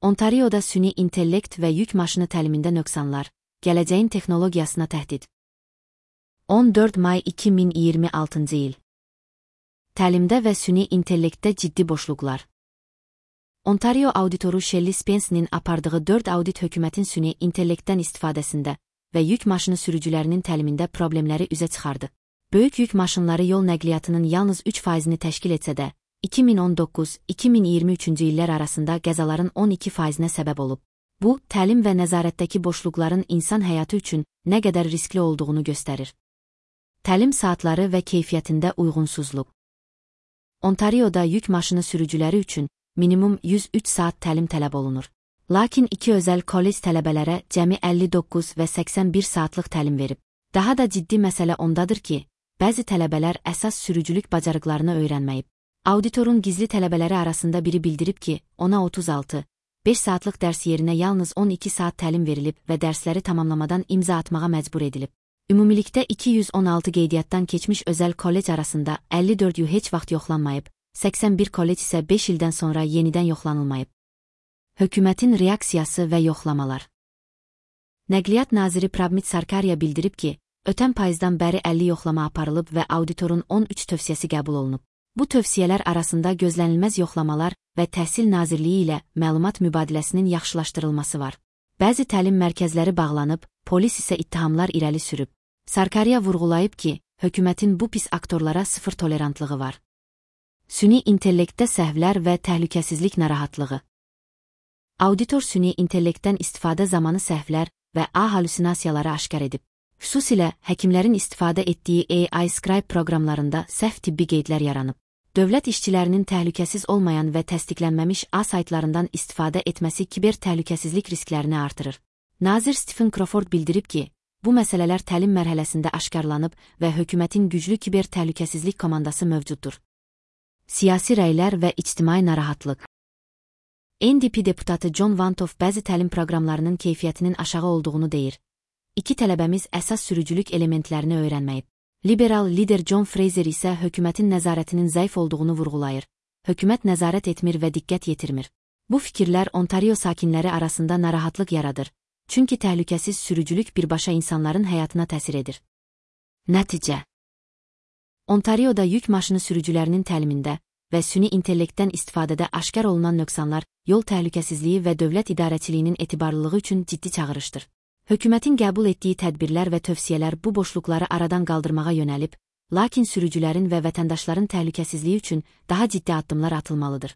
Ontarioda süni intellekt və yük maşını təlimində nöqsanlar, gələcəyin texnologiyasına təhdid. 14 may 2026-cı il. Təlimdə və süni intellektdə ciddi boşluqlar. Ontario auditoru Shelley Spence'nin apardığı 4 audit hökumətin süni intellektdən istifadəsində və yük maşını sürücülərinin təlimində problemləri üzə çıxardı. Böyük yük maşınları yol nəqliyyatının yalnız 3%-ni təşkil etsə də, 2019-2023-cü illər arasında qəzaların 12%-nə səbəb olub. Bu, təlim və nəzarətdəki boşluqların insan həyatı üçün nə qədər riskli olduğunu göstərir. Təlim saatları və keyfiyyətində uyğunsuzluq. Ontarioda yük maşını sürücüləri üçün minimum 103 saat təlim tələb olunur. Lakin iki özəl kollec tələbələrə cəmi 59 və 81 saatlıq təlim verib. Daha da ciddi məsələ ondadır ki, bəzi tələbələr əsas sürücülük bacarıqlarını öyrənməyib. Auditorun gizli tələbələri arasında biri bildirib ki, ona 36, 5 saatlıq dərs yerinə yalnız 12 saat təlim verilib və dərsləri tamamlamadan imza atmağa məcbur edilib. Ümumilikdə 216 qeydiyyatdan keçmiş özəl kollec arasında 54 heç vaxt yoxlanmayıb, 81 kollec isə 5 ildən sonra yenidən yoxlanılmayıb. Hökumətin reaksiyası və yoxlamalar. Nəqliyyat naziri Prabmit Sarkaria bildirib ki, ötən payızdan bəri 50 yoxlama aparılıb və auditorun 13 tövsiyəsi qəbul olunub. Bu tövsiyələr arasında gözlənilməz yoxlamalar və Təhsil Nazirliyi ilə məlumat mübadiləsinin yaxşılaşdırılması var. Bəzi təlim mərkəzləri bağlanıb, polis isə ittihamlar irəli sürüb. Sarkaria vurğulayıb ki, hökumətin bu pis aktorlara sıfır tolerantlığı var. Süni intellektdə səhvlər və təhlükəsizlik narahatlığı. Auditor süni intellektdən istifadə zamanı səhvlər və halüsinasiyaları aşkar edib. Xüsusilə, həkimlərin istifadə etdiyi AI Scribe proqramlarında səhv tibbi qeydlər yaranıb. Dövlət işçilərinin təhlükəsiz olmayan və təsdiqlənməmiş saytlarından istifadə etməsi kiber təhlükəsizlik risklərini artırır. Nazir Stephen Crawford bildirib ki, bu məsələlər təlim mərhələsində aşkarlanıb və hökumətin güclü kiber təhlükəsizlik komandası mövcuddur. Siyasi rəylər və ictimai narahatlıq. NDP deputatı John Vantoff bəzi təlim proqramlarının keyfiyyətinin aşağı olduğunu deyir. İki tələbəmiz əsas sürücülük elementlərini öyrənməyib. Liberal lider John Fraser isə hökumətin nəzarətinin zəif olduğunu vurğulayır. Hökumət nəzarət etmir və diqqət yetirmir. Bu fikirlər Ontario sakinləri arasında narahatlıq yaradır. Çünki təhlükəsiz sürücülük birbaşa insanların həyatına təsir edir. Nəticə. Ontarioda yük maşını sürücülərinin təlimində və süni intellektdən istifadədə aşkar olunan nöqsanlar yol təhlükəsizliyi və dövlət idarəçiliyinin etibarlılığı üçün ciddi çağırışdır. Hökumətin qəbul etdiyi tədbirlər və tövsiyələr bu boşluqları aradan qaldırmağa yönəlib, lakin sürücülərin və vətəndaşların təhlükəsizliyi üçün daha ciddi addımlar atılmalıdır.